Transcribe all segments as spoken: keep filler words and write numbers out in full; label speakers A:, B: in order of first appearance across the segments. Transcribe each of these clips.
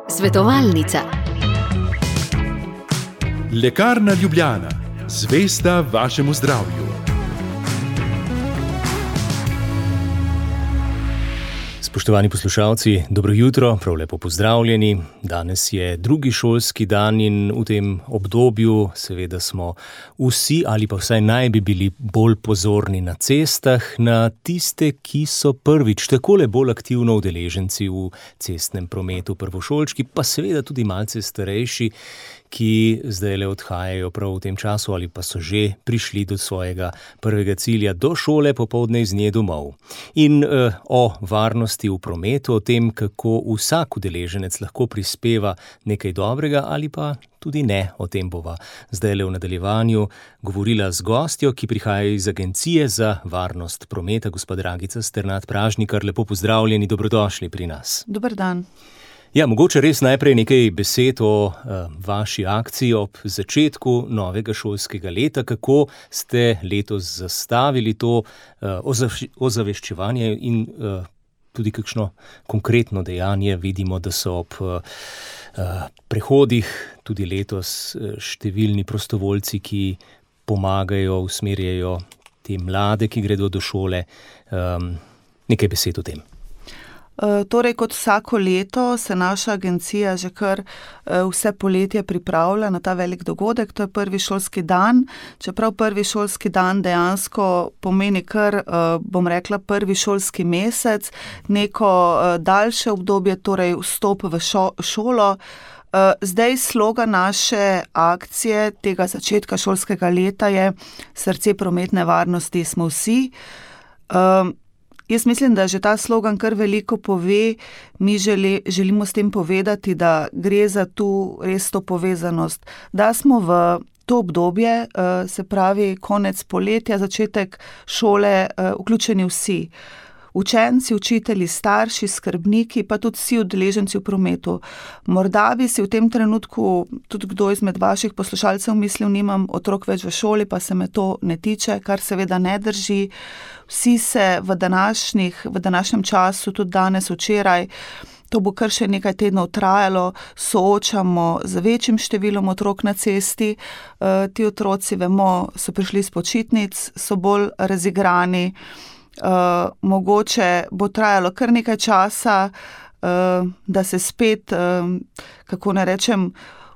A: Svetovalnica.
B: Lekarna Ljubljana, zvesta vašemu zdravju.
C: Spoštovani poslušalci, dobro jutro, prav lepo pozdravljeni. Danes je drugi šolski dan in v tem obdobju seveda smo vsi ali pa vsaj naj bi bili bolj pozorni na cestah, na tiste, ki so prvič takole bolj aktivno udeleženci v cestnem prometu, prvošolčki, pa seveda tudi malce starejši, ki zdaj le odhajajo prav v tem času ali pa so že prišli do svojega prvega cilja, do šole, popoldne iz nje domov. In eh, o varnosti v prometu, o tem, kako vsak udeleženec lahko prispeva nekaj dobrega ali pa tudi ne, o tem bova zdaj le v nadaljevanju govorila z gostjo, ki prihaja iz Agencije za varnost prometa, gospa Dragica Sternad Pražnikar. Lepo pozdravljeni, dobrodošli pri nas.
D: Dober dan.
C: Ja, mogoče res najprej nekaj besed o uh, vaši akciji ob začetku novega šolskega leta. Kako ste letos zastavili to uh, ozaveščevanje in uh, tudi kakšno konkretno dejanje? Vidimo, da so ob uh, prehodih tudi letos uh, številni prostovoljci, ki pomagajo, usmerjajo te mlade, ki gredo do šole. Um, nekaj besed o tem.
D: Torej, kot vsako leto se naša agencija že kar vse poletje pripravlja na ta velik dogodek, to je prvi šolski dan. Čeprav prvi šolski dan dejansko pomeni kar, bom rekla, prvi šolski mesec, neko daljše obdobje, torej vstop v šo, šolo. Zdaj slogan naše akcije tega začetka šolskega leta je Srce prometne varnosti smo vsi. Jaz mislim, da že ta slogan kar veliko pove. Mi želi, želimo s tem povedati, da gre za tu res to povezanost, da smo v to obdobje, se pravi konec poletja, začetek šole, vključeni vsi. Učenci, učitelji, starši, skrbniki, pa tudi vsi udeleženci v prometu. Morda bi si v tem trenutku tudi kdo izmed vaših poslušalcev mislil, nimam otrok več v šoli, pa se me to ne tiče, kar seveda ne drži. Vsi se v današnjih, v današnjem času, tudi danes, včeraj, to bo kar še nekaj tednov trajalo, soočamo z večjim številom otrok na cesti. E, ti otroci, vemo, so prišli s počitnic, so bolj razigrani. Uh, mogoče bo trajalo kar nekaj časa, uh, da se spet, uh, kako ne rečem,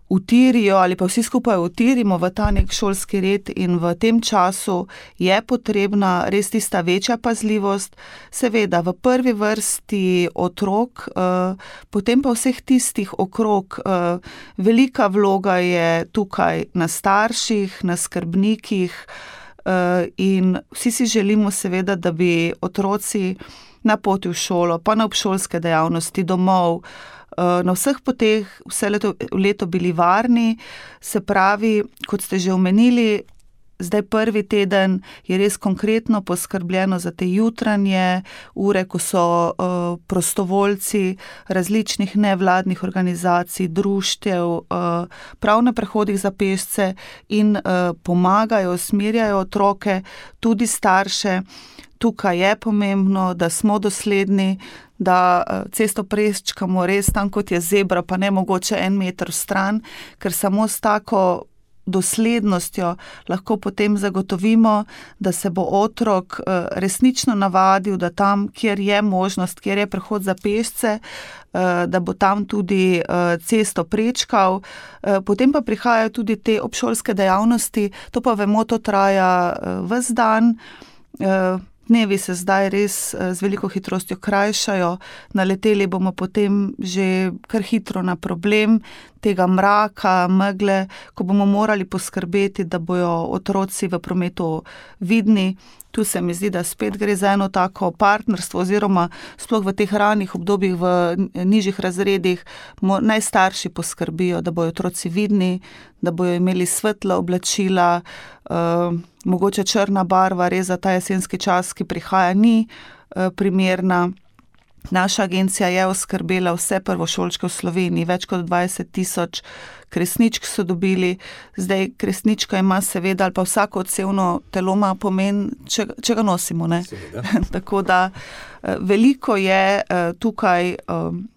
D: utirijo ali pa vsi skupaj utirimo v ta nek šolski red, in v tem času je potrebna res tista večja pazljivost, seveda v prvi vrsti otrok, uh, potem pa vseh tistih okrog. Uh, velika vloga je tukaj na starših, na skrbnikih. In vsi si želimo seveda, da bi otroci na poti v šolo, pa na obšolske dejavnosti, domov, na vseh poteh vse leto, leto bili varni. Se pravi, kot ste že omenili, zdaj prvi teden je res konkretno poskrbljeno za te jutranje ure, ko so uh, prostovoljci različnih nevladnih organizacij, društev, uh, prav na prehodih za pešce in uh, pomagajo, usmerjajo otroke, tudi starše. Tukaj je pomembno, da smo dosledni, da cesto prečkamo res tam, kot je zebra, pa ne mogoče en meter stran, ker samo s tako doslednostjo lahko potem zagotovimo, da se bo otrok resnično navadil, da tam, kjer je možnost, kjer je prehod za pešce, da bo tam tudi cesto prečkal. Potem pa prihajajo tudi te obšolske dejavnosti, to pa vemo, to traja ves dan. Dnevi se zdaj res z veliko hitrostjo krajšajo, naleteli bomo potem že kar hitro na problem tega mraka, megle, ko bomo morali poskrbeti, da bojo otroci v prometu vidni. Tu se mi zdi, da spet gre za eno tako partnerstvo, oziroma sploh v teh ranih obdobjih v nižjih razredih naj starši poskrbijo, da bojo otroci vidni, da bojo imeli svetla oblačila, uh, mogoče črna barva res za ta jesenski čas, ki prihaja, ni uh, primerna. Naša agencija je oskrbela vse prvošolčke v Sloveniji, več kot dvajset tisoč kresničk so dobili. Zdaj, kresnička ima seveda, ali pa vsako odsevno telo ima pomen, če, če ga nosimo, ne? Tako da veliko je tukaj um,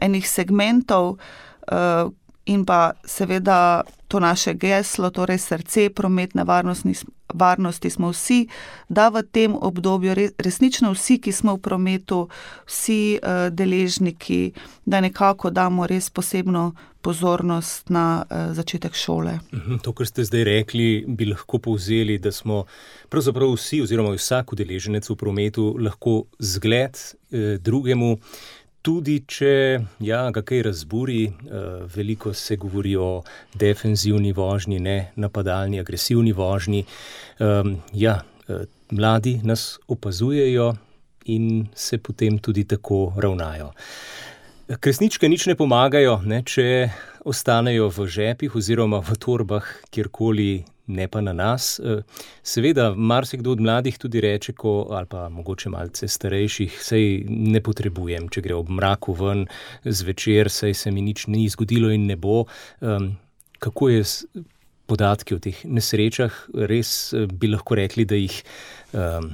D: enih segmentov uh, in pa seveda to naše geslo, torej srce prometne varnosti, varnosti smo vsi, da v tem obdobju res, resnično vsi, ki smo v prometu, vsi uh, deležniki, da nekako damo res posebno pozornost na uh, začetek šole.
C: To, kar ste zdaj rekli, bi lahko povzeli, da smo pravzaprav vsi oziroma vsak udeleženec v prometu lahko zgled eh, drugemu. Tudi če ja, ga kaj razburi, veliko se govori o defenzivni vožnji, ne napadalni, agresivni vožnji. Ja, mladi nas opazujejo in se potem tudi tako ravnajo. Kresničke nič ne pomagajo, ne, če ostanejo v žepih oziroma v torbah, kjerkoli, ne pa na nas. Seveda, marsikdo od mladih tudi reče, ko, ali pa mogoče malce starejših, sej ne potrebujem, če gre ob mraku ven zvečer, sej se mi nič ni zgodilo in ne bo. Um, kako je s podatki o teh nesrečah? Res bi lahko rekli, da jih, um,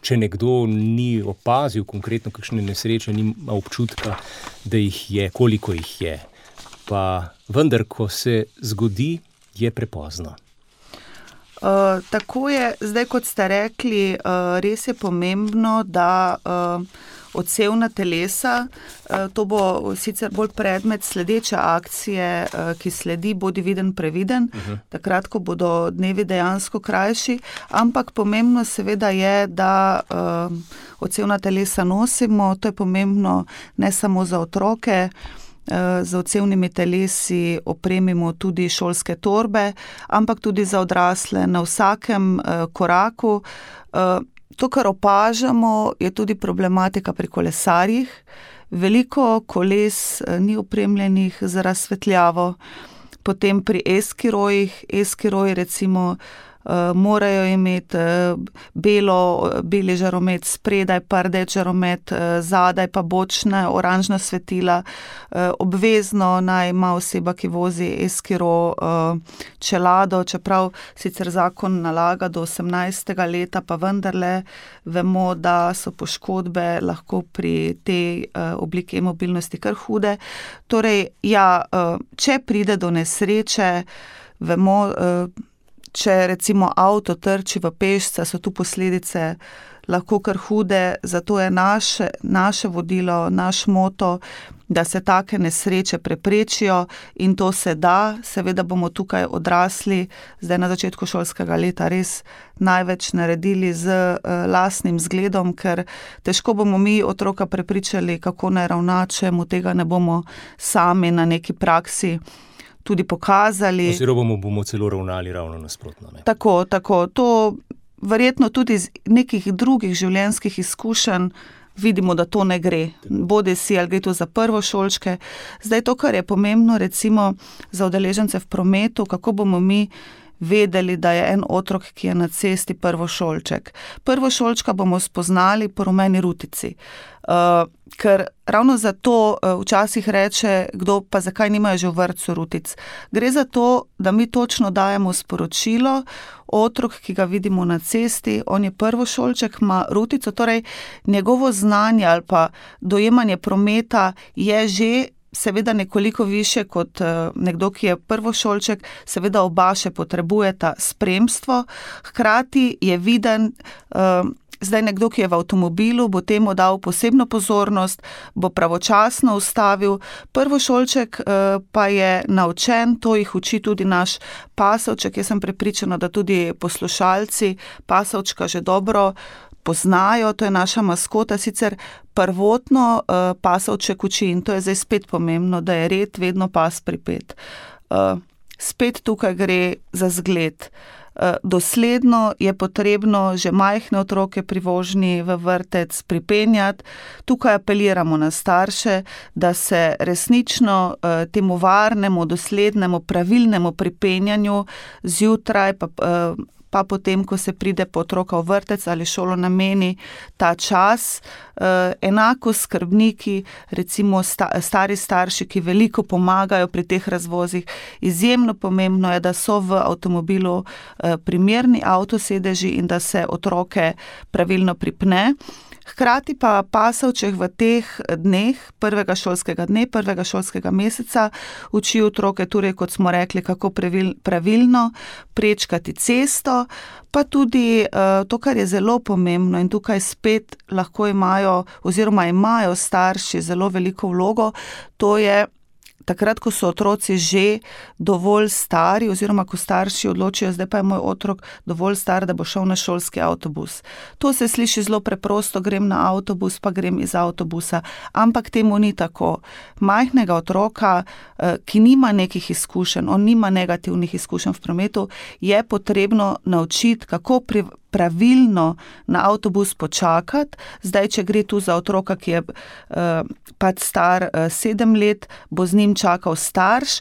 C: če nekdo ni opazil konkretno kakšne nesreče, nima občutka, da jih je, koliko jih je. Pa vendar, ko se zgodi, je prepozno.
D: Uh, tako je, zdaj kot ste rekli, uh, res je pomembno, da uh, odsevna telesa, uh, to bo sicer bolj predmet sledeče akcije, uh, ki sledi Bodi viden, previden, uh-huh. takrat, ko bodo dnevi dejansko krajši, ampak pomembno seveda je, da uh, odsevna telesa nosimo, to je pomembno ne samo za otroke, z odsevnimi telesi opremimo tudi šolske torbe, ampak tudi za odrasle na vsakem koraku. To, kar opažamo, je tudi problematika pri kolesarjih. Veliko koles ni opremljenih z razsvetljavo. Potem pri eskirojih, eskiroji recimo Uh, morajo imeti uh, belo, beli žaromet spredaj, pa rdeč žaromet uh, zadaj, pa bočna oranžna svetila. Uh, obvezno naj ima oseba, ki vozi eskiro, uh, čelado, čeprav sicer zakon nalaga do osemnajstega leta, pa vendarle vemo, da so poškodbe lahko pri tej uh, obliki e-mobilnosti kar hude. Torej, ja, uh, če pride do nesreče, vemo, uh, če recimo avto trči v pešca, so tu posledice lahko kar hude, zato je naše, naše vodilo, naš moto, da se take nesreče preprečijo in to se da. Seveda bomo tukaj odrasli, zdaj na začetku šolskega leta res največ naredili z uh, lastnim zgledom, ker težko bomo mi otroka prepričali, kako naj ravna, če mu tega ne bomo sami na neki praksi tudi pokazali.
C: Oziroma bomo, bomo celo ravnali ravno nasprotno. Ne?
D: Tako, tako. To verjetno tudi iz nekih drugih življenjskih izkušenj vidimo, da to ne gre. Bodi si, ali gre to za prvošolčke. Zdaj to, kar je pomembno recimo za udeležence v prometu, kako bomo mi vedeli, da je en otrok, ki je na cesti prvošolček. Prvošolčka bomo spoznali po rumeni rutici. Uh, ker ravno zato uh, včasih reče, kdo pa zakaj nimajo že v vrtcu rutic. Gre za to, da mi točno dajemo sporočilo, otrok, ki ga vidimo na cesti, on je prvošolček, ima rutico, torej njegovo znanje ali pa dojemanje prometa je že seveda nekoliko više kot uh, nekdo, ki je prvošolček, seveda oba še potrebujeta spremstvo, hkrati je viden, uh, zdaj nekdo, ki je v avtomobilu, bo temu dal posebno pozornost, bo pravočasno ustavil, prvošolček uh, pa je naučen, to jih uči tudi naš pasovček, jaz sem prepričana, da tudi poslušalci pasovčka že dobro poznajo, to je naša maskota, sicer prvotno uh, pasovček uči in to je zdaj spet pomembno, da je red vedno pas pripet. Uh, spet tukaj gre za zgled. Uh, dosledno je potrebno že majhne otroke pri vožnji v vrtec pripenjati. Tukaj apeliramo na starše, da se resnično uh, temu varnemu, doslednemu, pravilnemu pripenjanju zjutraj pa uh, pa potem, ko se pride po otroka v vrtec ali šolo, nameni ta čas. Enako skrbniki, recimo stari starši, ki veliko pomagajo pri teh razvozih. Izjemno pomembno je, da so v avtomobilu primerni avtosedeži in da se otroke pravilno pripne. Hkrati pa pasovček v teh dneh, prvega šolskega dne, prvega šolskega meseca, uči otroke, torej, kot smo rekli, kako pravilno prečkati cesto, pa tudi to, kar je zelo pomembno in tukaj spet lahko imajo oziroma imajo starši zelo veliko vlogo, to je takrat, ko so otroci že dovolj stari oziroma ko starši odločijo, zdaj pa je moj otrok dovolj star, da bo šel na šolski avtobus. To se sliši zelo preprosto, grem na avtobus, pa grem iz avtobusa, ampak temu ni tako. Majhnega otroka, ki nima nekih izkušenj, on nima negativnih izkušenj v prometu, je potrebno naučiti, kako pri pravilno na avtobus počakati. Zdaj, če gre tu za otroka, ki je uh, pač star uh, sedem let, bo z njim čakal starš,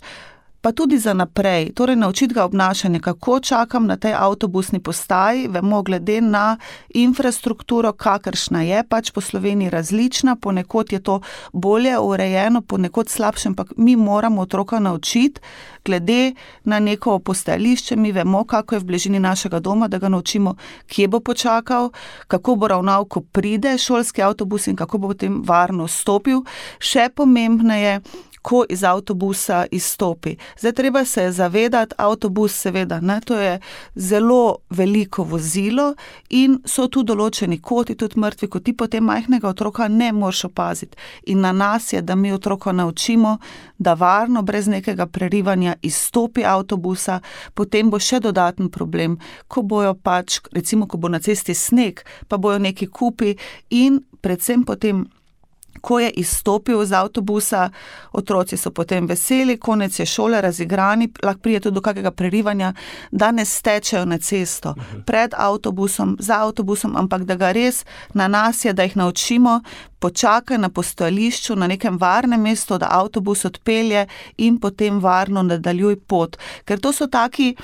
D: pa tudi za naprej. Torej, naučiti ga obnašanje, kako čakam na tej avtobusni postaji, vemo glede na infrastrukturo, kakršna je, pač po Sloveniji različna, ponekod je to bolje urejeno, ponekod slabše, ampak mi moramo otroka naučiti, glede na neko postajališče, mi vemo, kako je v bližini našega doma, da ga naučimo, kje bo počakal, kako bo ravnal, ko pride šolski avtobus in kako bo potem varno stopil. Še pomembneje, ko iz avtobusa izstopi. Zdaj, treba se je zavedati, avtobus seveda, ne, to je zelo veliko vozilo in so tu določeni koti, tudi mrtvi koti, potem majhnega otroka ne moreš opaziti. In na nas je, da mi otroka naučimo, da varno, brez nekega prerivanja izstopi avtobusa, potem bo še dodaten problem, ko bojo pač, recimo, ko bo na cesti sneg, pa bojo neki kupi in predvsem potem, ko je izstopil z avtobusa, otroci so potem veseli, konec je šole, razigrani, lahko prije tudi do kakega prerivanja, da ne stečejo na cesto pred avtobusom, za avtobusom, ampak da ga res na nas je, da jih naučimo, počakaj na postajališču, na nekem varnem mestu, da avtobus odpelje in potem varno nadaljuj pot. Ker to so taki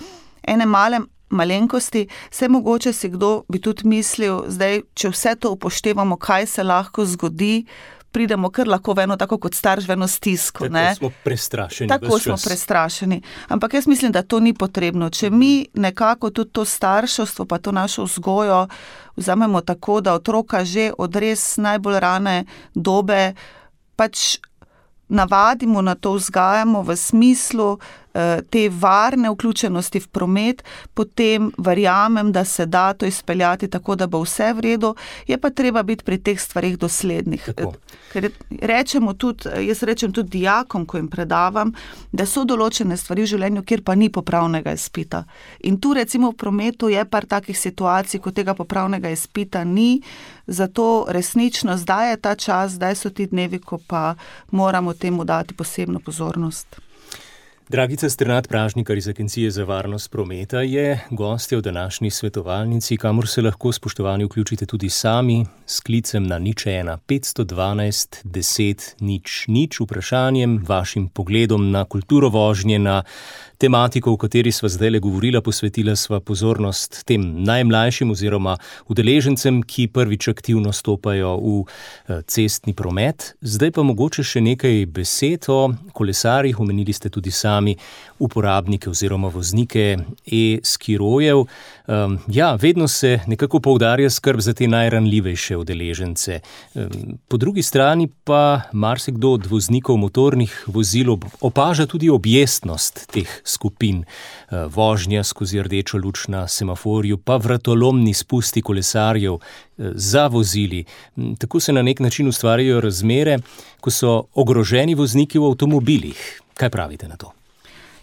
D: ene male malenkosti, vse mogoče si kdo bi tudi mislil, zdaj, če vse to upoštevamo, kaj se lahko zgodi, pridemo kar lahko v eno, tako kot starš, v eno stisko.
C: Tako
D: ne?
C: smo prestrašeni.
D: Tako smo prestrašeni. Ampak jaz mislim, da to ni potrebno. Če mi nekako tudi to starševstvo, pa to našo vzgojo vzamemo tako, da otroka že od res najbolj rane dobe pač navadimo na to, vzgajamo v smislu te varne vključenosti v promet, potem verjamem, da se da to izpeljati tako, da bo vse v redu, je pa treba biti pri teh stvarih doslednih.
C: Tako.
D: Ker rečemo tudi, jaz rečem tudi dijakom, ko jim predavam, da so določene stvari v življenju, kjer pa ni popravnega izpita. In tu recimo v prometu je par takih situacij, ko tega popravnega izpita ni, zato resnično zdaj je ta čas, zdaj so ti dnevi, ko pa moramo temu dati posebno pozornost.
C: Dragica Strnad, Pražnikar iz Agencije za varnost prometa, je gostja v današnji svetovalnici, kamor se lahko, spoštovani, vključite tudi sami s klicem na nič ena petsto dvanajst deset nič nič, vprašanjem, vašim pogledom na kulturo vožnje, na tematiko, o kateri sva zdaj le govorila, posvetila sva pozornost tem najmlajšim oziroma udeležencem, ki prvič aktivno stopajo v cestni promet. Zdaj pa mogoče še nekaj besed o kolesarjih, omenili ste tudi sami uporabnike oziroma voznike e-skirojev. Um, ja, vedno se nekako poudarja skrb za te najranljivejše udeležence. Um, po drugi strani pa marsikdo od voznikov motornih vozil opaža tudi objestnost teh skupin. Uh, vožnja skozi rdečo luč na semaforju, pa vratolomni spusti kolesarjev uh, za vozili. Um, tako se na nek način ustvarjajo razmere, ko so ogroženi vozniki v avtomobilih. Kaj pravite na to?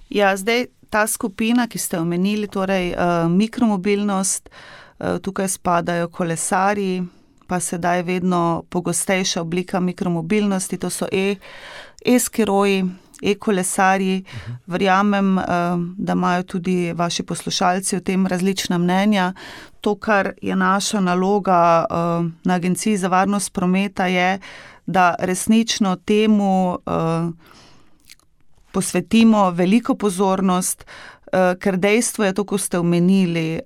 D: Ja, zdaj ta skupina, ki ste omenili, torej uh, mikromobilnost, uh, tukaj spadajo kolesarji, pa sedaj vedno pogostejša oblika mikromobilnosti, to so e, e-skiroji, e-kolesarji. Uh-huh. Verjamem, uh, da imajo tudi vaši poslušalci o tem različna mnenja. To, kar je naša naloga uh, na Agenciji za varnost prometa, je, da resnično temu uh, posvetimo veliko pozornost, ker dejstvo je to, ko ste omenili,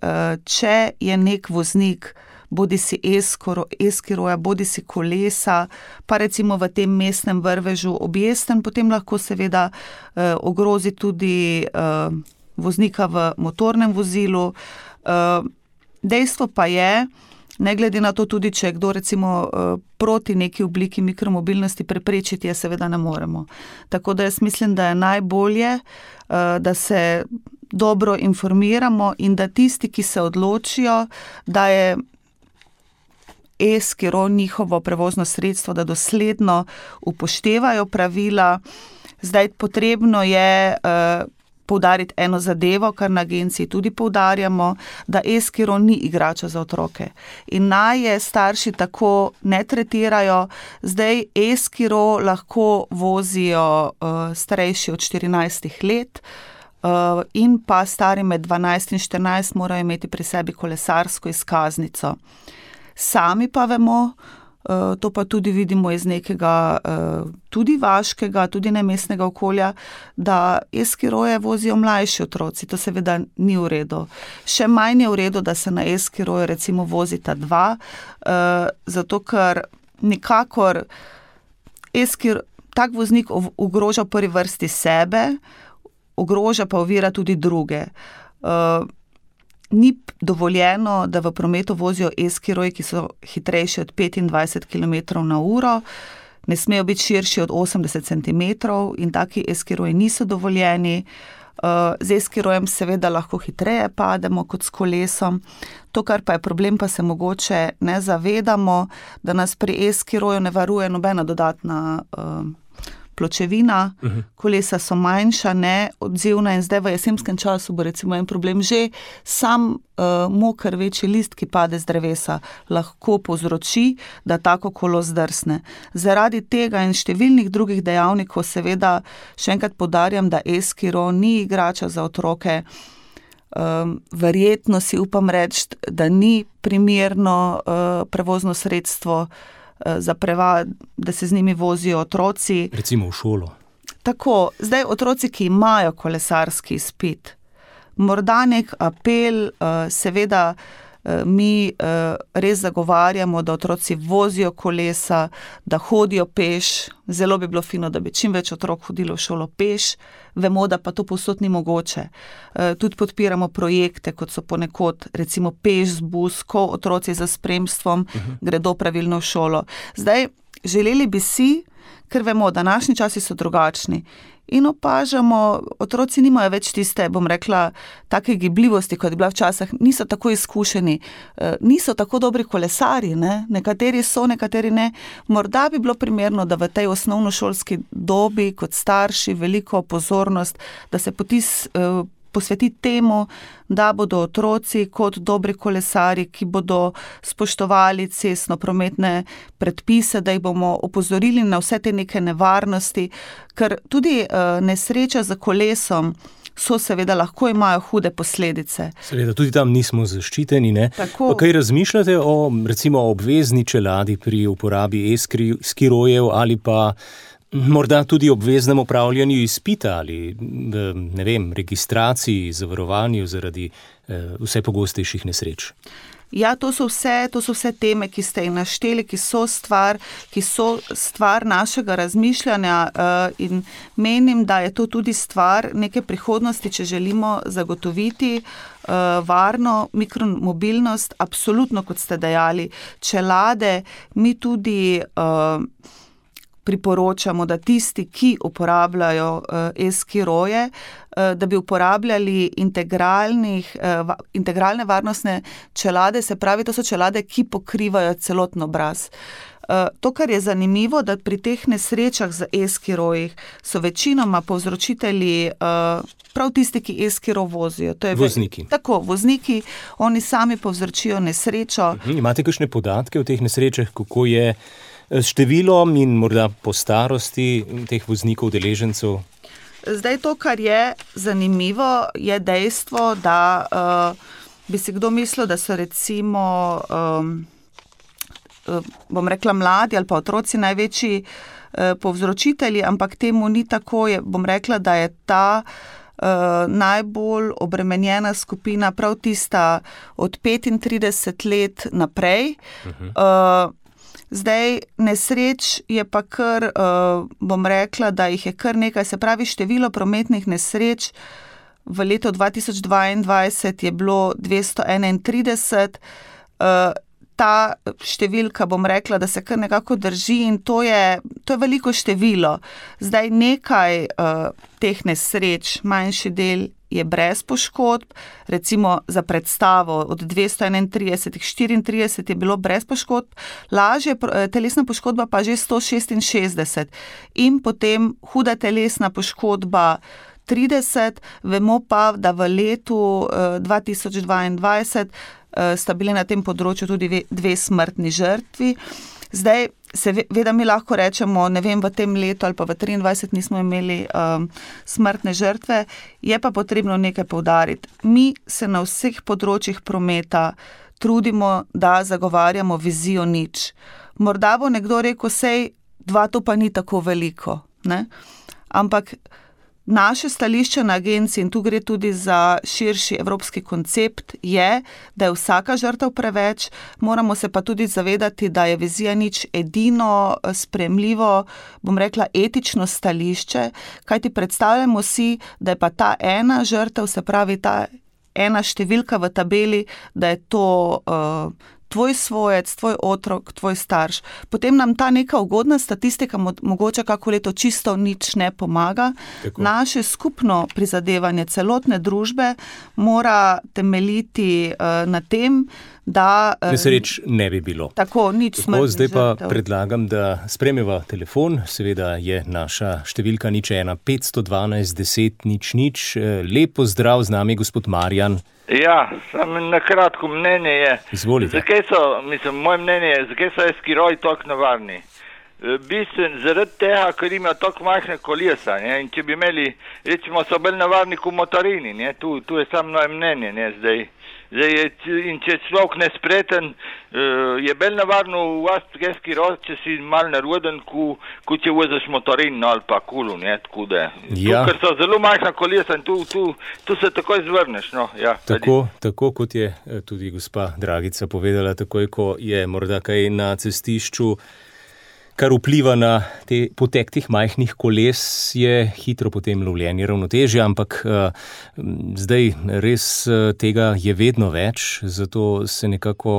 D: če je nek voznik, bodi si e-skiroja, bodi si kolesa, pa recimo v tem mestnem vrvežu objesten, potem lahko seveda ogrozi tudi voznika v motornem vozilu. Dejstvo pa je, ne glede na to tudi, če je kdo recimo proti neki obliki mikromobilnosti, preprečiti je seveda ne moremo. Tako da jaz mislim, da je najbolje, da se dobro informiramo in da tisti, ki se odločijo, da je e-skiro njihovo prevozno sredstvo, da dosledno upoštevajo pravila. Zdaj potrebno je poudariti eno zadevo, kar na agenciji tudi poudarjamo, da e-skiro ni igrača za otroke. In naj je starši tako ne tretirajo. Zdaj e-skiro lahko vozijo uh, starejši od štirinajstih let uh, in pa stari med dvanajst in štirinajst morajo imeti pri sebi kolesarsko izkaznico. Sami pa vemo, uh, to pa tudi vidimo iz nekega uh, tudi vaškega, tudi nemestnega okolja, da e-skiroje vozijo mlajši otroci. To seveda ni v redu. Še manj je v redu, da se na e-skiroju recimo vozita dva, uh, zato ker nikakor e-skir, tak voznik ogroža v prvi vrsti sebe, ogroža pa ovira tudi druge. Uh, Ni dovoljeno, da v prometu vozijo e-skiroji, ki so hitrejši od petindvajset kilometrov na uro, ne smejo biti širši od osemdeset centimetrov in taki e-skiroji niso dovoljeni. Z e-skirojem seveda lahko hitreje pademo kot s kolesom. To, kar pa je problem, pa se mogoče ne zavedamo, da nas pri e-skiroju ne varuje nobena dodatna uh, pločevina, uh-huh. Kolesa so manjša, ne odzivna in zdaj v jesenskem času bo recimo en problem že sam uh, moker večji list, ki pade z drevesa, lahko povzroči, da tako kolo zdrsne. Zaradi tega in številnih drugih dejavnikov seveda še enkrat poudarjam, da e-skiro ni igrača za otroke. Um, verjetno si upam reči, da ni primerno uh, prevozno sredstvo za preva, da se z njimi vozijo otroci.
C: Recimo v šolo.
D: Tako, zdaj otroci, ki imajo kolesarski izpit, morda nek apel, seveda mi res zagovarjamo, da otroci vozijo kolesa, da hodijo peš. Zelo bi bilo fino, da bi čim več otrok hodilo v šolo peš. Vemo, da pa to povsod ni mogoče. Tudi podpiramo projekte, kot so ponekod recimo peš z bus, ko otroci za spremstvom uh-huh. gredo pravilno v šolo. Zdaj, želeli bi si, ker vemo, današnji časi so drugačni in opažamo, otroci nimajo več tiste, bom rekla, take gibljivosti, kot je bila včasih, niso tako izkušeni, niso tako dobri kolesari, ne? Nekateri so, nekateri ne. Morda bi bilo primerno, da v tej osnovnošolski dobi kot starši veliko pozornost, da se potis posveti temu, da bodo otroci kot dobri kolesari, ki bodo spoštovali cestno-prometne predpise, da jih bomo opozorili na vse te neke nevarnosti, ker tudi uh, nesreča za kolesom so seveda lahko imajo hude posledice.
C: Seveda, tudi tam nismo zaščiteni, ne?
D: Tako.
C: Kaj razmišljate o recimo obvezni čeladi pri uporabi e-skirojev ali pa morda tudi obveznem opravljanju izpita ali, ne vem, registraciji, zavarovanju zaradi eh, vse pogostejših nesreč?
D: Ja, to so vse, to so vse teme, ki ste jih našteli, ki so stvar, ki so stvar našega razmišljanja uh, in menim, da je to tudi stvar neke prihodnosti, če želimo zagotoviti uh, varno mikromobilnost, absolutno, kot ste dejali, čelade, mi tudi uh, priporočamo, da tisti, ki uporabljajo e-skiroje, da bi uporabljali integralnih, integralne varnostne čelade, se pravi, to so čelade, ki pokrivajo celotno obraz. To, kar je zanimivo, da pri teh nesrečah z e-skirojih so večinoma povzročitelji prav tisti, ki e-skiro vozijo. To je
C: vozniki.
D: Tako, vozniki, oni sami povzročijo nesrečo.
C: Imate kakšne podatke o teh nesrečah, kako je s številom in morda po starosti teh voznikov, udeležencev?
D: Zdaj to, kar je zanimivo, je dejstvo, da uh, bi si kdo mislil, da so recimo, um, uh, bom rekla, mladi ali pa otroci največji uh, povzročitelji, ampak temu ni tako. Je, bom rekla, da je ta najbolj obremenjena skupina prav tista od petintrideset let naprej. Uh-huh. Uh, Zdaj, nesreč je pa kar, uh, bom rekla, da jih je kar nekaj, se pravi število prometnih nesreč v letu dva tisoč dvaindvajset je bilo dvesto enaintrideset, uh, ta številka, bom rekla, da se kar nekako drži in to je, to je veliko število. Zdaj, nekaj uh, teh nesreč, manjši del je brez poškodb, recimo za predstavo od dvesto enaintrideset, štiriintrideset je bilo brez poškodb, lažje telesna poškodba pa že sto šestinšestdeset in potem huda telesna poškodba trideset, vemo pa, da v letu dva tisoč dvaindvajset sta bili na tem področju tudi dve smrtni žrtvi. Zdaj, seveda mi lahko rečemo, ne vem, v tem letu ali pa v triindvajset nismo imeli um, smrtne žrtve, je pa potrebno nekaj poudariti. Mi se na vseh področjih prometa trudimo, da zagovarjamo vizijo nič. Morda bo nekdo rekel, sej dva to pa ni tako veliko, ne? Ampak naše stališče na agenciji, in tu gre tudi za širši evropski koncept, je, da je vsaka žrtev preveč, moramo se pa tudi zavedati, da je vizija nič edino sprejemljivo, bom rekla, etično stališče, kajti predstavljamo si, da je pa ta ena žrtev, se pravi ta ena številka v tabeli, da je to uh, tvoj svojec, tvoj otrok, tvoj starš. Potem nam ta neka ugodna statistika mo- mogoče kako leto čisto nič ne pomaga. Tako. Naše skupno prizadevanje celotne družbe mora temeljiti uh, na tem, da... Uh,
C: Nesreč ne bi bilo.
D: Tako, nič smrtnih žrtev.
C: Zdaj pa predlagam, da spremeva telefon. Seveda je naša številka nič ena petsto dvanajst deset nič nič. Lep pozdrav, z nami gospod Marjan.
A: Ja, samo na kratko mnenje je.
C: Izvolite.
A: Zakaj so, mislim, moje mnenje je, zakaj so eskiroji tako nevarni? Bistven, zaradi tega, ker imajo tako majhne kolesa, ne? In če bi imeli, recimo, so bolj nevarni kot motorini, ne? Tu, tu je samo moje mnenje, ne, zdaj. Zdaj je, in če človek nespreten, je bolj nevarno uvasti eskiroj, če si mal nervoden, ko če voziš motorin ali pa kulu, ne, tako da.
C: Ja.
A: Tu, ker so zelo majhna kolesa in tu, tu, tu se takoj zvrneš, no, ja.
C: Tako, tako kot je tudi gospa Dragica povedala, takoj, ko je morda kaj na cestišču, kar vpliva na te potek teh majhnih koles, je hitro potem lovljenje ravnotežja, ampak uh, zdaj res uh, tega je vedno več, zato se nekako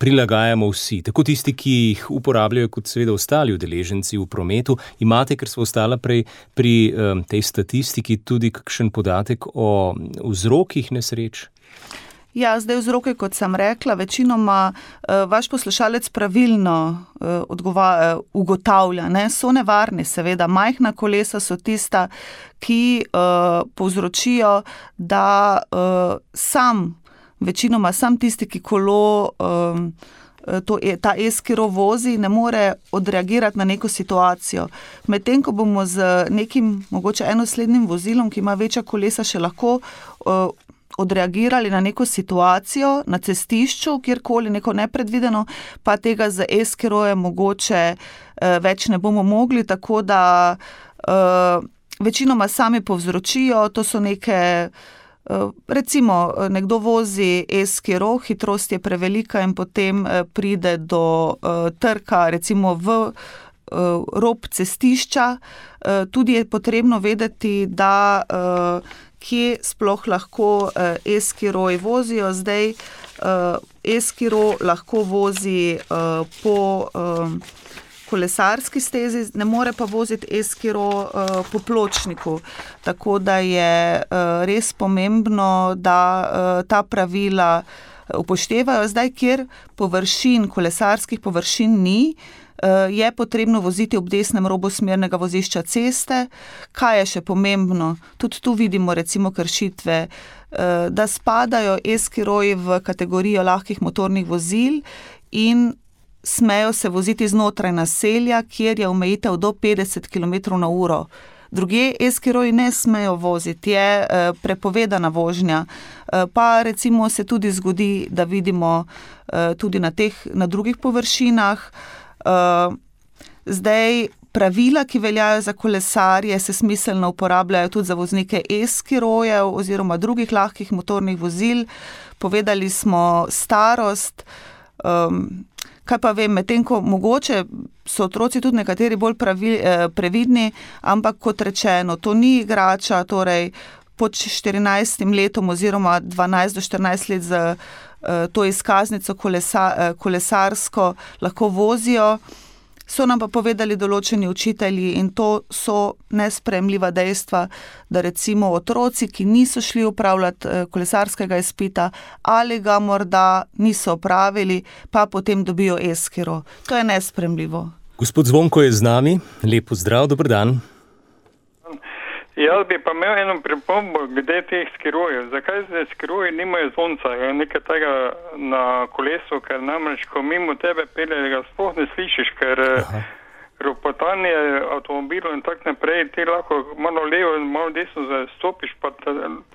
C: prilagajamo vsi. Tako tisti, ki jih uporabljajo, kot seveda ostali udeleženci v prometu. Imate, ker smo ostala prej pri um, tej statistiki, tudi kakšen podatek o vzrokih nesreč?
D: Ja, zdaj vzroke, kot sem rekla, večinoma uh, vaš poslušalec pravilno uh, odgova, uh, ugotavlja, ne, so nevarni, seveda, majhna kolesa so tista, ki uh, povzročijo, da uh, sam, večinoma sam tisti, ki kolo, um, to je, ta eskiro vozi, ne more odreagirati na neko situacijo. Medtem, ko bomo z nekim, mogoče enoslednim vozilom, ki ima večja kolesa, še lahko uh, odreagirali na neko situacijo na cestišču, kjerkoli neko nepredvideno, pa tega z eskirojem mogoče uh, več ne bomo mogli, tako da uh, večinoma sami povzročijo, to so neke, uh, recimo nekdo vozi eskiro, hitrost je prevelika in potem uh, pride do uh, trka, recimo v uh, rob cestišča. Uh, tudi je potrebno vedeti, da uh, kje sploh lahko uh, eskiroji vozijo. Zdaj uh, eskiro lahko vozi uh, po uh, kolesarski stezi, ne more pa voziti eskiro uh, po pločniku. Tako da je uh, res pomembno, da uh, ta pravila upoštevajo. Zdaj, kjer površin, kolesarskih površin ni, je potrebno voziti ob desnem robu smernega vozišča ceste. Kaj je še pomembno? Tudi tu vidimo recimo kršitve, da spadajo eskiroji v kategorijo lahkih motornih vozil in smejo se voziti znotraj naselja, kjer je omejitev do petdeset kilometrov na uro. Drugje eskiroji ne smejo voziti, je prepovedana vožnja. Pa recimo se tudi zgodi, da vidimo tudi na teh, na drugih površinah. Uh, zdaj pravila, ki veljajo za kolesarje, se smiselno uporabljajo tudi za voznike e-skirojev oziroma drugih lahkih motornih vozil. Povedali smo starost, um, kaj pa vem, medtem ko mogoče so otroci tudi nekateri bolj pravi, eh, previdni, ampak kot rečeno, to ni igrača, torej pod štirinajstim letom oziroma dvanajst do štirinajst let z eh, to izkaznico kolesa, eh, kolesarsko lahko vozijo. So nam pa povedali določeni učitelji in to so nesprejemljiva dejstva, da recimo otroci, ki niso šli upravljati kolesarskega izpita ali ga morda niso opravili, pa potem dobijo e-skiro. To je nesprejemljivo.
C: Gospod Zvonko je z nami. Lep pozdrav, dober dan.
E: Jaz bi pa imel eno pripombo glede teh skirojev. Zakaj zdaj skiroji nimajo zvonca, nekaj tega na kolesu, ker namreč, ko mimo tebe pelje, ga sploh ne slišiš, ker Aha. ropotanje avtomobilov in tak naprej, ti lahko malo levo in malo desno zastopiš, pa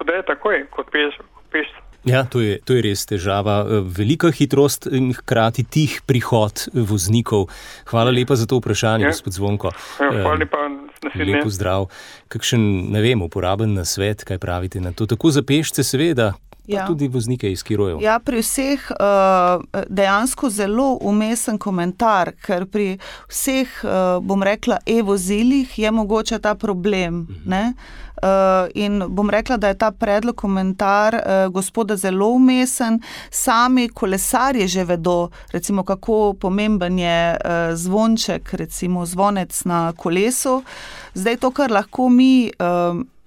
E: podaj takoj, kot peš, peš.
C: Ja, to je, to je res težava. Velika hitrost in hkrati tih prihod voznikov. Hvala lepa za to vprašanje, ja. Gospod Zvonko.
E: Ja, hvala lepa.
C: Lep pozdrav. Kakšen, ne vem, uporaben nasvet, kaj pravite na to? Tako za pešce seveda, pa ja. tudi voznike iz skirojev.
D: Ja, pri vseh dejansko zelo umesen komentar, ker pri vseh, bom rekla, e-vozilih je mogoče ta problem, mhm. ne? In bom rekla, da je ta predlog komentar gospoda zelo umesen. Sami kolesarji že vedo, recimo, kako pomemben je zvonček, recimo zvonec na kolesu. Zdaj to, kar lahko mi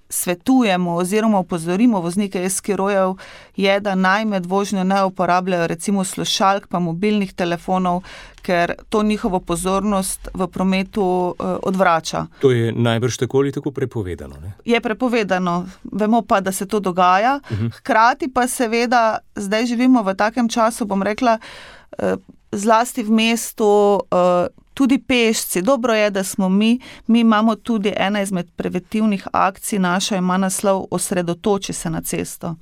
D: svetujemo oziroma opozorimo voznike e-skirojev, je, da naj med vožnjo ne uporabljajo recimo slušalk pa mobilnih telefonov, ker to njihovo pozornost v prometu uh, odvrača.
C: To je najbrž tako ali tako prepovedano, ne?
D: Je prepovedano. Vemo pa, da se to dogaja. Uh-huh. Hkrati pa seveda, zdaj živimo v takem času, bom rekla, uh, zlasti v mestu, uh, tudi pešci. Dobro je, da smo mi, mi imamo tudi ena izmed preventivnih akcij, naša ima naslov Osredotoči se na cesto.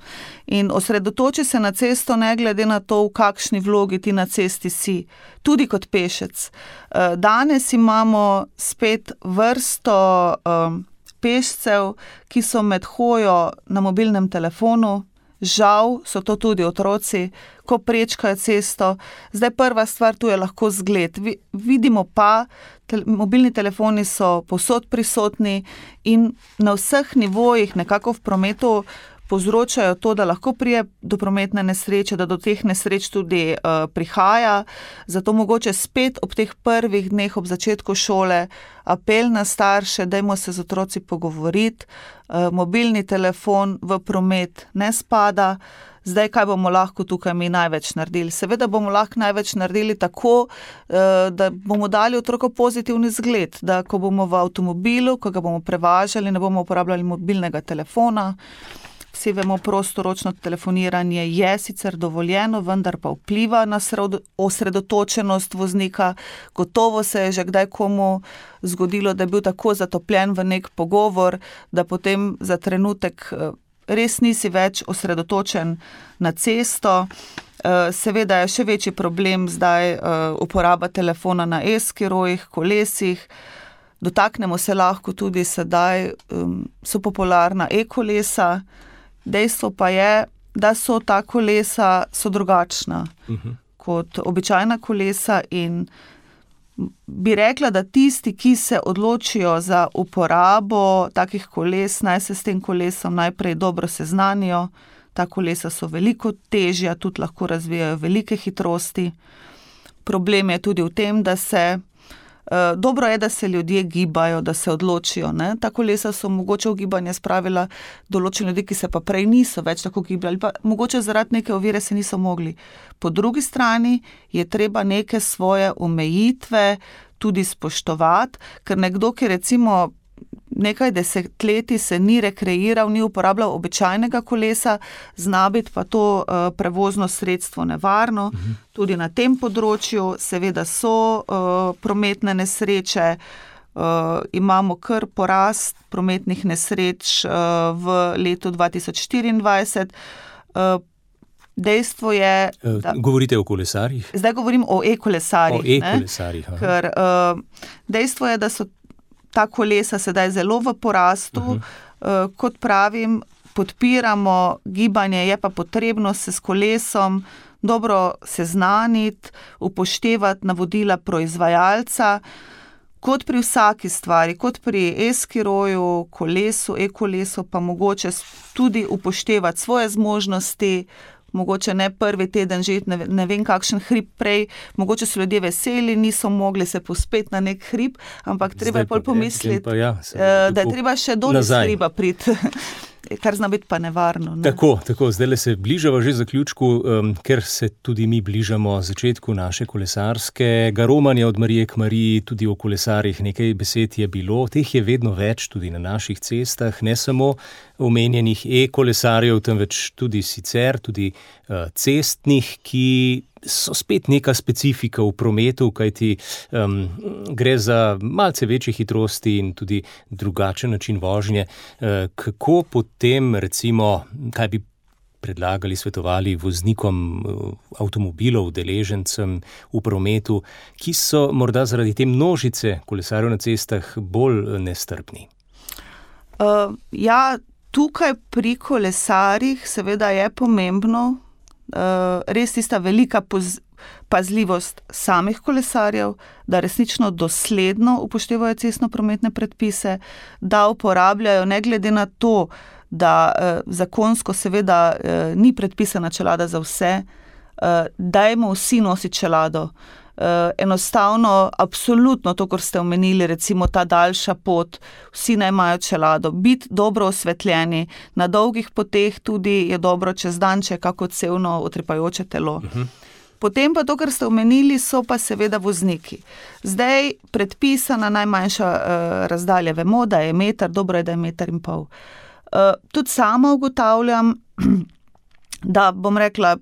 D: In osredotoči se na cesto ne glede na to, v kakšni vlogi ti na cesti si, tudi kot pešec. Danes imamo spet vrsto um, pešcev, ki so med hojo na mobilnem telefonu. Žal so to tudi otroci, ko prečkajo cesto. Zdaj prva stvar, tu je lahko zgled. Vidimo pa, te, mobilni telefoni so povsod prisotni in na vseh nivojih nekako v prometu povzročajo to, da lahko prije do prometne nesreče, da do teh nesreč tudi uh, prihaja. Zato mogoče spet ob teh prvih dneh, ob začetku šole, apel na starše, dajmo se z otroci pogovoriti. Uh, mobilni telefon v promet ne spada. Zdaj, kaj bomo lahko tukaj mi največ naredili? Seveda bomo lahko največ naredili tako, da bomo dali otroku pozitivni zgled, da ko bomo v avtomobilu, ko ga bomo prevažali, ne bomo uporabljali mobilnega telefona. Vsi vemo, prostoročno telefoniranje je sicer dovoljeno, vendar pa vpliva na osredotočenost voznika. Gotovo se je že kdaj komu zgodilo, da je bil tako zatopljen v nek pogovor, da potem za trenutek res nisi več osredotočen na cesto. Seveda je še večji problem zdaj uporaba telefona na e-skirojih, kolesih. Dotaknemo se lahko tudi sedaj, so popularna e-kolesa. Dejstvo pa je, da so ta kolesa so drugačna uh-huh. kot običajna kolesa in bi rekla, da tisti, ki se odločijo za uporabo takih koles, naj se s tem kolesom najprej dobro seznanijo. Ta kolesa so veliko težja, tudi lahko razvijajo velike hitrosti. Problem je tudi v tem, da se Uh, dobro je, da se ljudje gibajo, da se odločijo. Ne? Ta kolesa so mogoče v gibanje spravila določeni ljudi, ki se pa prej niso več tako gibali, pa mogoče zaradi neke ovire se niso mogli. Po drugi strani je treba neke svoje omejitve tudi spoštovati, ker nekdo, ki recimo nekaj desetletij se ni rekreiral, ni uporabljal običajnega kolesa, zna biti pa to uh, prevozno sredstvo nevarno. Mhm. Tudi na tem področju seveda so uh, prometne nesreče, uh, imamo kar porast prometnih nesreč uh, v letu dva tisoč štiriindvajset. Uh, Dejstvo je, da...
C: Govorite o kolesarjih?
D: Zdaj govorim o e-kolesarjih.
C: O e-kolesarjih.
D: Ker uh, dejstvo je, da so ta kolesa sedaj zelo v porastu, uh-huh. kot pravim, podpiramo gibanje, je pa potrebno se s kolesom dobro seznaniti, upoštevati navodila proizvajalca, kot pri vsaki stvari, kot pri e-skiroju, kolesu, e-kolesu, pa mogoče tudi upoštevati svoje zmožnosti, mogoče ne prvi teden žeti, ne, ne vem kakšen hrib prej, mogoče so ljudje veseli, niso mogli se pospeti na nek hrib, ampak treba je pol pomisliti, ja, da je treba še dol iz hriba priti. Kar zna biti pa nevarno. Ne?
C: Tako, tako, zdaj se bližava že zaključku, um, ker se tudi mi bližamo začetku naše kolesarskega romanja od Marije k Mariji, tudi o kolesarjih nekaj besed je bilo, teh je vedno več tudi na naših cestah, ne samo omenjenih e-kolesarjev, temveč tudi sicer, tudi uh, cestnih, ki so spet neka specifika v prometu, kajti um, gre za malce večje hitrosti in tudi drugačen način vožnje. Uh, kako potem, recimo, kaj bi predlagali, svetovali voznikom avtomobilov, udeležencem v prometu, ki so morda zaradi te množice kolesarjev na cestah bolj nestrpni?
D: Uh, ja, tukaj pri kolesarjih seveda je pomembno, Uh, res tista velika poz, pazljivost samih kolesarjev, da resnično dosledno upoštevajo cestno-prometne predpise, da uporabljajo, ne glede na to, da uh, zakonsko seveda uh, ni predpisana čelada za vse, uh, dajmo vsi nositi čelado. Uh, enostavno, absolutno to, kar ste omenili, recimo ta daljša pot, vsi naj imajo čelado, biti dobro osvetljeni, na dolgih poteh tudi je dobro čez dan, če je kako cevno utripajoče telo. Uh-huh. Potem pa to, kar ste omenili, so pa seveda vozniki. Zdaj predpisana najmanjša uh, razdalja, vemo, da je meter, dobro je, da je meter in pol. Uh, tudi sama ugotavljam, da bom rekla,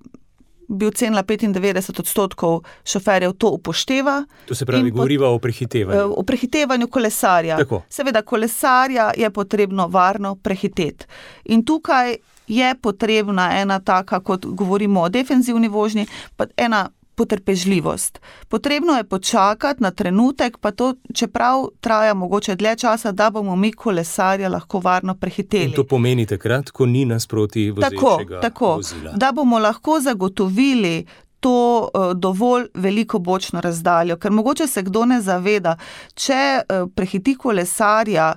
D: bi ocenila petindevetdeset odstotkov šoferjev to upošteva.
C: To se pravi, govoriva o prehitevanju.
D: O prehitevanju kolesarja.
C: Tako.
D: Seveda, kolesarja je potrebno varno prehiteti. In tukaj je potrebna ena taka, kot govorimo o defenzivni vožnji, pa ena potrpežljivost. Potrebno je počakati na trenutek, pa to, čeprav traja mogoče dlje časa, da bomo mi kolesarja lahko varno prehiteli.
C: In to pomeni takrat, ko ni nasproti vozečega
D: tako,
C: vozila.
D: Tako, da bomo lahko zagotovili to uh, dovolj veliko bočno razdaljo, ker mogoče se kdo ne zaveda, če uh, prehiti kolesarja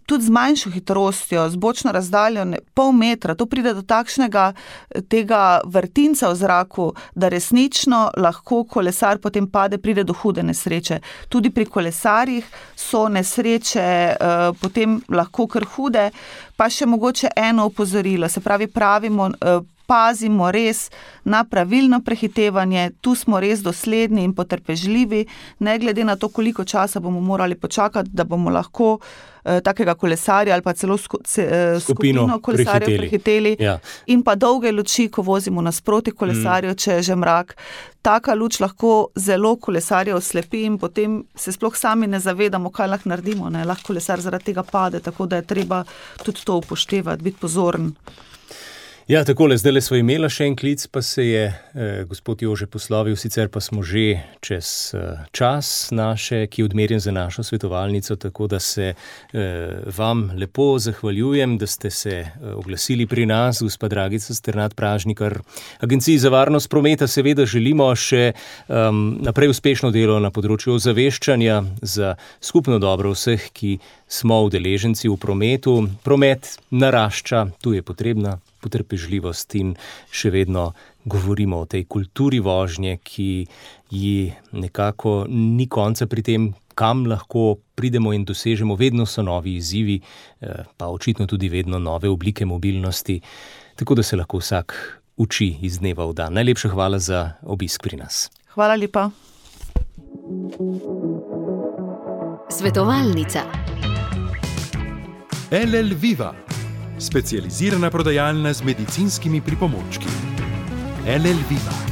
D: tudi z manjšo hitrostjo, z bočno razdaljo ne, pol metra, to pride do takšnega tega vrtinca v zraku, da resnično lahko kolesar potem pade, pride do hude nesreče. Tudi pri kolesarjih so nesreče uh, potem lahko kar hude, pa še mogoče eno opozorilo, se pravi pravimo, uh, pazimo res na pravilno prehitevanje, tu smo res dosledni in potrpežljivi, ne glede na to, koliko časa bomo morali počakati, da bomo lahko eh, takega kolesarja ali pa celo sku, ce, eh, skupino, skupino kolesarjev prehiteli, prehiteli. Ja. In pa dolge luči, ko vozimo nasproti kolesarjev, mm. če je že mrak. Taka luč lahko zelo kolesarjev oslepi in potem se sploh sami ne zavedamo, kaj lahko naredimo. Ne? Lahko kolesar zaradi tega pade, tako da je treba tudi to upoštevati, biti pozoren.
C: Ja, takole, zdaj le smo imela še en klic, pa se je eh, gospod Jože poslovil, sicer pa smo že čez eh, čas naše, ki je odmerjen za našo svetovalnico, tako da se eh, vam lepo zahvaljujem, da ste se eh, oglasili pri nas, gospa Dragica Sternad Pražnikar. Agenciji za varnost prometa seveda želimo še um, naprej uspešno delo na področju ozaveščanja za skupno dobro vseh, ki smo udeleženci v prometu. Promet narašča, tu je potrebna potrpežljivost in še vedno govorimo o tej kulturi vožnje, ki ji nekako ni konca pri tem, kam lahko pridemo in dosežemo. Vedno so novi izzivi, pa očitno tudi vedno nove oblike mobilnosti, tako da se lahko vsak uči iz dneva v dan. Najlepša hvala za obisk pri nas.
D: Hvala lepa.
F: Svetovalnica.
B: L L Viva, specializirana prodajalna z medicinskimi pripomočki. L L Viva.